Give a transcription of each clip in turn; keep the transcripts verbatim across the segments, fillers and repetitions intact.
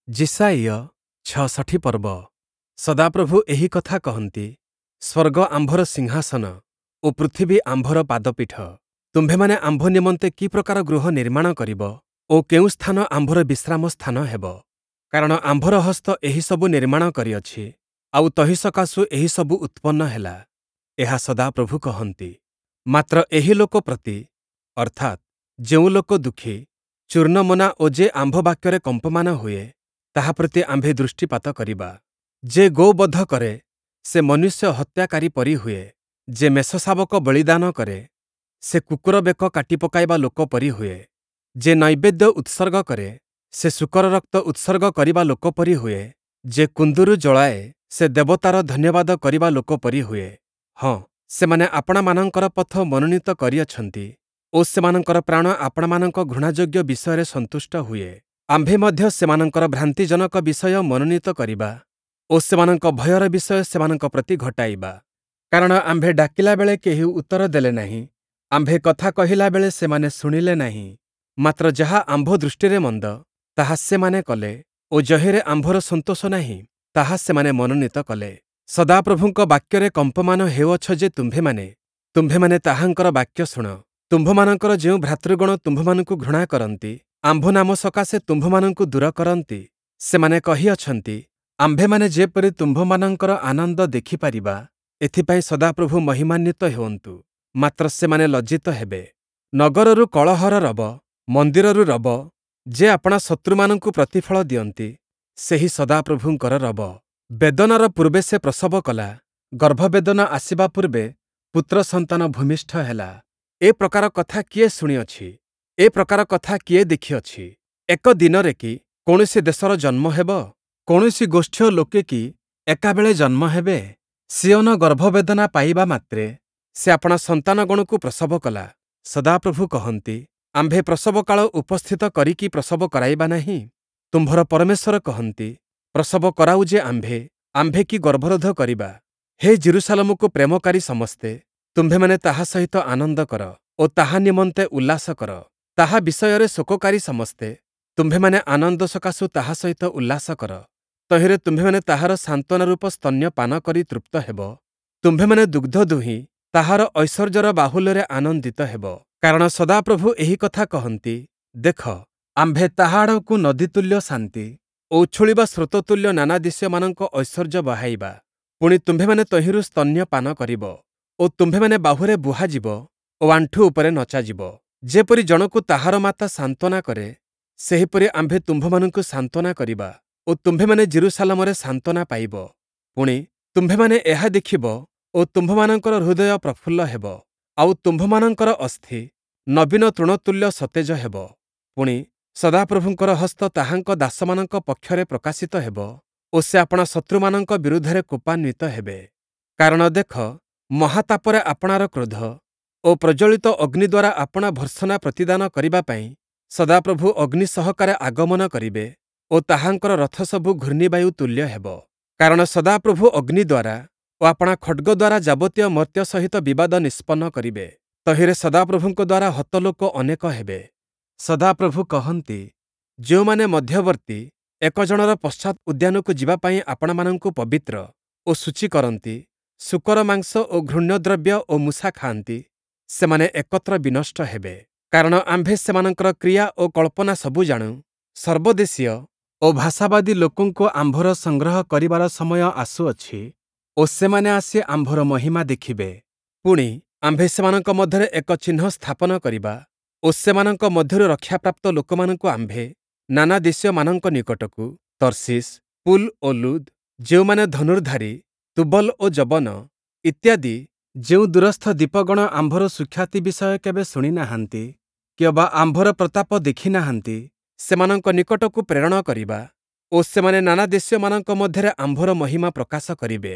ଯିଶାଇୟ ଛଅଷଠି ପର୍ବ। ସଦାପ୍ରଭୁ ଏହି କଥା କହନ୍ତି, ସ୍ୱର୍ଗ ଆମ୍ଭର ସିଂହାସନ ଓ ପୃଥିବୀ ଆମ୍ଭର ପାଦପୀଠ। ତୁମ୍ଭେମାନେ ଆମ୍ଭ ନିମନ୍ତେ କି ପ୍ରକାର ଗୃହ ନିର୍ମାଣ କରିବ ଓ କେଉଁ ସ୍ଥାନ ଆମ୍ଭର ବିଶ୍ରାମ ସ୍ଥାନ ହେବ? କାରଣ ଆମ୍ଭର ହସ୍ତ ଏହିସବୁ ନିର୍ମାଣ କରିଅଛି, ଆଉ ତହିଁ ସକାଶୁ ଏହିସବୁ ଉତ୍ପନ୍ନ ହେଲା, ଏହା ସଦାପ୍ରଭୁ କହନ୍ତି। ମାତ୍ର ଏହି ଲୋକ ପ୍ରତି, ଅର୍ଥାତ୍, ଯେଉଁ ଲୋକ ଦୁଃଖୀ, ଚୂର୍ଣ୍ଣମନା ଓ ଯେ ଆମ୍ଭ ବାକ୍ୟରେ କମ୍ପମାନ ହୁଏ, ତାହା ପ୍ରତି ଆମ୍ଭେ ଦୃଷ୍ଟିପାତ କରିବା। ଯେ ଗୋବଧ କରେ, ସେ ମନୁଷ୍ୟ ହତ୍ୟାକାରୀ ପରି ହୁଏ; ଯେ ମେଷଶାବକ ବଳିଦାନ କରେ, ସେ କୁକୁର ବେକ କାଟି ପକାଇବା ଲୋକ ପରି ହୁଏ। ଯେ ନୈବେଦ୍ୟ ଉତ୍ସର୍ଗ କରେ, ସେ ଶୂକର ରକ୍ତ ଉତ୍ସର୍ଗ କରିବା ଲୋକ ପରି ହୁଏ। ଯେ କୁନ୍ଦୁରୁ ଜଳାଏ, ସେ ଦେବତାର ଧନ୍ୟବାଦ କରିବା ଲୋକ ପରି ହୁଏ। ହଁ, ସେମାନେ ଆପଣାମାନଙ୍କର ପଥ ମନୋନୀତ କରିଅଛନ୍ତି ଓ ସେମାନଙ୍କର ପ୍ରାଣ ଆପଣାମାନଙ୍କ ଘୃଣାଯୋଗ୍ୟ ବିଷୟରେ ସନ୍ତୁଷ୍ଟ ହୁଏ। ଆମ୍ଭେ ମଧ୍ୟ ସେମାନଙ୍କର ଭ୍ରାନ୍ତିଜନକ ବିଷୟ ମନୋନୀତ କରିବା ଓ ସେମାନଙ୍କ ଭୟର ବିଷୟ ସେମାନଙ୍କ ପ୍ରତି ଘଟାଇବା। କାରଣ ଆମ୍ଭେ ଡାକିଲା ବେଳେ କେହି ଉତ୍ତର ଦେଲେ ନାହିଁ, ଆମ୍ଭେ କଥା କହିଲା ବେଳେ ସେମାନେ ଶୁଣିଲେ ନାହିଁ। ମାତ୍ର ଯାହା ଆମ୍ଭ ଦୃଷ୍ଟିରେ ମନ୍ଦ, ତାହା ସେମାନେ କଲେ ଓ ଯହିଁରେ ଆମ୍ଭର ସନ୍ତୋଷ ନାହିଁ, ତାହା ସେମାନେ ମନୋନୀତ କଲେ। ସଦାପ୍ରଭୁଙ୍କ ବାକ୍ୟରେ କମ୍ପମାନ ହେଉଅଛ ଯେ ତୁମ୍ଭେମାନେ, ତୁମ୍ଭେମାନେ ତାହାଙ୍କର ବାକ୍ୟ ଶୁଣ। ତୁମ୍ଭମାନଙ୍କର ଯେଉଁ ଭ୍ରାତୃଗଣ ତୁମ୍ଭମାନଙ୍କୁ ଘୃଣା କରନ୍ତି, ଆମ୍ଭ ନାମ ସକାଶେ ତୁମ୍ଭମାନଙ୍କୁ ଦୂର କରନ୍ତି, ସେମାନେ କହିଅଛନ୍ତି, ଆମ୍ଭେମାନେ ଯେପରି ତୁମ୍ଭମାନଙ୍କର ଆନନ୍ଦ ଦେଖିପାରିବା, ଏଥିପାଇଁ ସଦାପ୍ରଭୁ ମହିମାନ୍ୱିତ ହେଉନ୍ତୁ। ମାତ୍ର ସେମାନେ ଲଜ୍ଜିତ ହେବେ। ନଗରରୁ କଳହର ରବ, ମନ୍ଦିରରୁ ରବ, ଯେ ଆପଣା ଶତ୍ରୁମାନଙ୍କୁ ପ୍ରତିଫଳ ଦିଅନ୍ତି, ସେହି ସଦାପ୍ରଭୁଙ୍କର ରବ। ବେଦନାର ପୂର୍ବେ ସେ ପ୍ରସବ କଲା, ଗର୍ଭବେଦନା ଆସିବା ପୂର୍ବେ ପୁତ୍ର ସନ୍ତାନ ଭୂମିଷ୍ଠ ହେଲା। ଏ ପ୍ରକାର କଥା କିଏ ଶୁଣିଅଛି? ଏ ପ୍ରକାର କଥା କିଏ ଦେଖିଅଛି? ଏକ ଦିନରେ କି କୌଣସି ଦେଶର ଜନ୍ମ ହେବ? କୌଣସି ଗୋଷ୍ଠୀୟ ଲୋକେ କି ଏକାବେଳେ ଜନ୍ମ ହେବେ? ସିୟୋନ ଗର୍ଭବେଦନା ପାଇବା ମାତ୍ରେ ସେ ଆପଣା ସନ୍ତାନଗଣକୁ ପ୍ରସବ କଲା। ସଦାପ୍ରଭୁ କହନ୍ତି, ଆମ୍ଭେ ପ୍ରସବକାଳ ଉପସ୍ଥିତ କରି କି ପ୍ରସବ କରାଇବା ନାହିଁ? ତୁମ୍ଭର ପରମେଶ୍ୱର କହନ୍ତି, ପ୍ରସବ କରାଉ ଯେ ଆମ୍ଭେ, ଆମ୍ଭେ କି ଗର୍ଭରୋଧ କରିବା? ହେ ଯିରୂଶାଲମକୁ ପ୍ରେମକାରୀ ସମସ୍ତେ, ତୁମ୍ଭେମାନେ ତାହା ସହିତ ଆନନ୍ଦ କର ଓ ତାହା ନିମନ୍ତେ ଉଲ୍ଲାସ କର। ତାହା ବିଷୟରେ ଶୋକକାରୀ ସମସ୍ତେ, ତୁମ୍ଭେମାନେ ଆନନ୍ଦ ସକାଶୁ ତାହା ସହିତ ଉଲ୍ଲାସ କର। ତହିଁରେ ତୁମ୍ଭେମାନେ ତାହାର ସାନ୍ତ୍ୱନାରୂପ ସ୍ତନ୍ୟପାନ କରି ତୃପ୍ତ ହେବ। ତୁମ୍ଭେମାନେ ଦୁଗ୍ଧ ଦୁହିଁ ତାହାର ଐଶ୍ୱର୍ଯ୍ୟର ବାହୁଲ୍ୟରେ ଆନନ୍ଦିତ ହେବ। କାରଣ ସଦାପ୍ରଭୁ ଏହି କଥା କହନ୍ତି, ଦେଖ, ଆମ୍ଭେ ତାହା ଆଡ଼କୁ ନଦୀତୁଲ୍ୟ ଶାନ୍ତି ଓ ଉଛୁଳିବା ସ୍ରୋତତୁଲ୍ୟ ନାନା ଦେଶୀୟମାନଙ୍କ ଐଶ୍ୱର୍ଯ୍ୟ ବହାଇବା। ପୁଣି ତୁମ୍ଭେମାନେ ତହିଁରୁ ସ୍ତନ୍ୟପାନ କରିବ ଓ ତୁମ୍ଭେମାନେ ବାହୁରେ ବୁହାଯିବ ଓ ଆଣ୍ଠୁ ଉପରେ ନଚାଯିବ। ଯେପରି ଜଣକୁ ତାହାର ମାତା ସାନ୍ତ୍ୱନା କରେ, ସେହିପରି ଆମ୍ଭେ ତୁମ୍ଭମାନଙ୍କୁ ସାନ୍ତ୍ୱନା କରିବା ଓ ତୁମ୍ଭେମାନେ ଯିରୂଶାଲମରେ ସାନ୍ତ୍ୱନା ପାଇବ। ପୁଣି, ତୁମ୍ଭେମାନେ ଏହା ଦେଖିବ ଓ ତୁମ୍ଭମାନଙ୍କର ହୃଦୟ ପ୍ରଫୁଲ୍ଲ ହେବ, ଆଉ ତୁମ୍ଭମାନଙ୍କର ଅସ୍ଥି ନବୀନ ତୃଣତୁଲ୍ୟ ସତେଜ ହେବ। ପୁଣି, ସଦାପ୍ରଭୁଙ୍କର ହସ୍ତ ତାହାଙ୍କ ଦାସମାନଙ୍କ ପକ୍ଷରେ ପ୍ରକାଶିତ ହେବ ଓ ସେ ଆପଣା ଶତ୍ରୁମାନଙ୍କ ବିରୁଦ୍ଧରେ କୋପାନ୍ୱିତ ହେବେ। କାରଣ ଦେଖ, ମହାତାପରେ ଆପଣାର କ୍ରୋଧ ଓ ପ୍ରଜ୍ୱଳିତ ଅଗ୍ନି ଦ୍ୱାରା ଆପଣା ଭର୍ତ୍ସନା ପ୍ରତିଦାନ କରିବା ପାଇଁ ସଦାପ୍ରଭୁ ଅଗ୍ନି ସହକାରେ ଆଗମନ କରିବେ ଓ ତାହାଙ୍କର ରଥସବୁ ଘୂର୍ଣ୍ଣିବାୟୁ ତୁଲ୍ୟ ହେବ। କାରଣ ସଦାପ୍ରଭୁ ଅଗ୍ନି ଦ୍ୱାରା ଓ ଆପଣା ଖଡ଼୍ଗ ଦ୍ୱାରା ଯାବତୀୟ ମର୍ତ୍ତ୍ୟ ସହିତ ବିବାଦ ନିଷ୍ପନ୍ନ କରିବେ। ତହିଁରେ ସଦାପ୍ରଭୁଙ୍କ ଦ୍ୱାରା ହତ ଲୋକ ଅନେକ ହେବେ। ସଦାପ୍ରଭୁ କହନ୍ତି, ଯେଉଁମାନେ ମଧ୍ୟବର୍ତ୍ତୀ ଏକ ଜଣର ପଶ୍ଚାତ୍ ଉଦ୍ୟାନକୁ ଯିବା ପାଇଁ ଆପଣାମାନଙ୍କୁ ପବିତ୍ର ଓ ଶୁଚି କରନ୍ତି, ଶୂକର ମାଂସ ଓ ଘୃଣ୍ୟ ଦ୍ରବ୍ୟ ଓ ମୂଷା ଖାଆନ୍ତି, ସେମାନେ ଏକତ୍ର ବିନଷ୍ଟ ହେବେ। କାରଣ ଆମ୍ଭେ ସେମାନଙ୍କର କ୍ରିୟା ଓ କଳ୍ପନା ସବୁ ଜାଣୁ। ସର୍ବଦେଶୀୟ ଓ ଭାଷାବାଦୀ ଲୋକଙ୍କୁ ଆମ୍ଭର ସଂଗ୍ରହ କରିବାର ସମୟ ଆସୁଅଛି ଓ ସେମାନେ ଆସି ଆମ୍ଭର ମହିମା ଦେଖିବେ। ପୁଣି, ଆମ୍ଭେ ସେମାନଙ୍କ ମଧ୍ୟରେ ଏକ ଚିହ୍ନ ସ୍ଥାପନ କରିବା ଓ ସେମାନଙ୍କ ମଧ୍ୟରୁ ରକ୍ଷାପ୍ରାପ୍ତ ଲୋକମାନଙ୍କୁ ଆମ୍ଭେ ନାନା ଦେଶୀୟମାନଙ୍କ ନିକଟକୁ, ତର୍ଶୀଶ୍, ପୂଲ୍ ଓ ଲୁଦ୍, ଯେଉଁମାନେ ଧନୁର୍ଦ୍ଧାରୀ, ତୁବଲ୍ ଓ ଯବନ ଇତ୍ୟାଦି ଯେଉଁ ଦୂରସ୍ଥ ଦ୍ୱୀପଗଣ ଆମ୍ଭର ସୁଖ୍ୟାତି ବିଷୟ କେବେ ଶୁଣି ନାହାନ୍ତି କିଅବା ଆମ୍ଭର ପ୍ରତାପ ଦେଖି ନାହାନ୍ତି, ସେମାନଙ୍କ ନିକଟକୁ ପ୍ରେରଣ କରିବା ଓ ସେମାନେ ନାନା ଦେଶୀୟମାନଙ୍କ ମଧ୍ୟରେ ଆମ୍ଭର ମହିମା ପ୍ରକାଶ କରିବେ।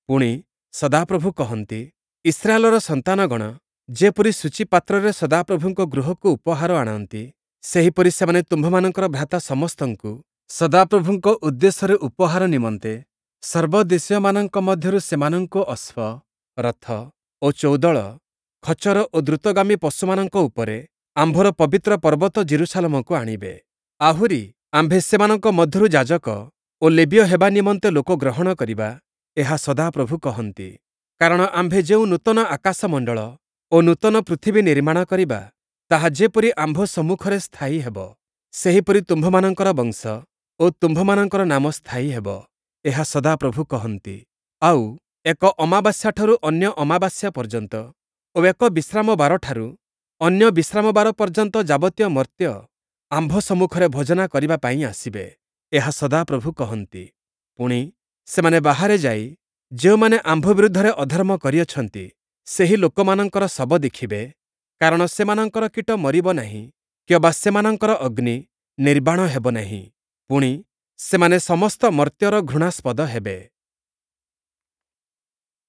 ପୁଣି, ସଦାପ୍ରଭୁ କହନ୍ତି, ଇସ୍ରାଏଲର ସନ୍ତାନଗଣ ଯେପରି ଶୁଚି ପାତ୍ରରେ ସଦାପ୍ରଭୁଙ୍କ ଗୃହକୁ ଉପହାର ଆଣନ୍ତି, ସେହିପରି ସେମାନେ ତୁମ୍ଭମାନଙ୍କର ଭ୍ରାତା ସମସ୍ତଙ୍କୁ ସଦାପ୍ରଭୁଙ୍କ ଉଦ୍ଦେଶ୍ୟରେ ଉପହାର ନିମନ୍ତେ ସର୍ବଦେଶୀୟମାନଙ୍କ ମଧ୍ୟରୁ ସେମାନଙ୍କୁ ଅଶ୍ୱ, ରଥ ଓ ଚୌଦଳ, ଖଚର ଓ ଦ୍ରୁତଗାମୀ ପଶୁମାନଙ୍କ ଉପରେ ଆମ୍ଭର ପବିତ୍ର ପର୍ବତ ଯିରୂଶାଲମକୁ ଆଣିବେ। ଆହୁରି ଆମ୍ଭେ ସେମାନଙ୍କ ମଧ୍ୟରୁ ଯାଜକ ଓ ଲେବୀୟ ହେବା ନିମନ୍ତେ ଲୋକ ଗ୍ରହଣ କରିବା, ଏହା ସଦାପ୍ରଭୁ କହନ୍ତି। କାରଣ ଆମ୍ଭେ ଯେଉଁ ନୂତନ ଆକାଶମଣ୍ଡଳ ଓ ନୂତନ ପୃଥିବୀ ନିର୍ମାଣ କରିବା, ତାହା ଯେପରି ଆମ୍ଭ ସମ୍ମୁଖରେ ସ୍ଥାୟୀ ହେବ, ସେହିପରି ତୁମ୍ଭମାନଙ୍କର ବଂଶ ଓ ତୁମ୍ଭମାନଙ୍କର ନାମ ସ୍ଥାୟୀ ହେବ, ଏହା ସଦାପ୍ରଭୁ କହନ୍ତି। ଆଉ ଏକ ଅମାବାସ୍ୟାଠାରୁ ଅନ୍ୟ ଅମାବାସ୍ୟା ପର୍ଯ୍ୟନ୍ତ ଓ ଏକ ବିଶ୍ରାମବାରଠାରୁ ଅନ୍ୟ ବିଶ୍ରାମବାର ପର୍ଯ୍ୟନ୍ତ ଯାବତୀୟ ମର୍ତ୍ତ୍ୟ ଆମ୍ଭ ସମ୍ମୁଖରେ ଭୋଜନା କରିବା ପାଇଁ ଆସିବେ, ଏହା ସଦାପ୍ରଭୁ କହନ୍ତି। ପୁଣି, ସେମାନେ ବାହାରେ ଯାଇ ଯେଉଁମାନେ ଆମ୍ଭ ବିରୁଦ୍ଧରେ ଅଧର୍ମ କରିଅଛନ୍ତି, ସେହି ଲୋକମାନଙ୍କର ଶବ ଦେଖିବେ, କାରଣ ସେମାନଙ୍କର କୀଟ ମରିବ ନାହିଁ କିଅବା ସେମାନଙ୍କର ଅଗ୍ନି ନିର୍ବାଣ ହେବ ନାହିଁ। ପୁଣି, ସେମାନେ ସମସ୍ତ ମର୍ତ୍ତ୍ୟର ଘୃଣାସ୍ପଦ ହେବେ।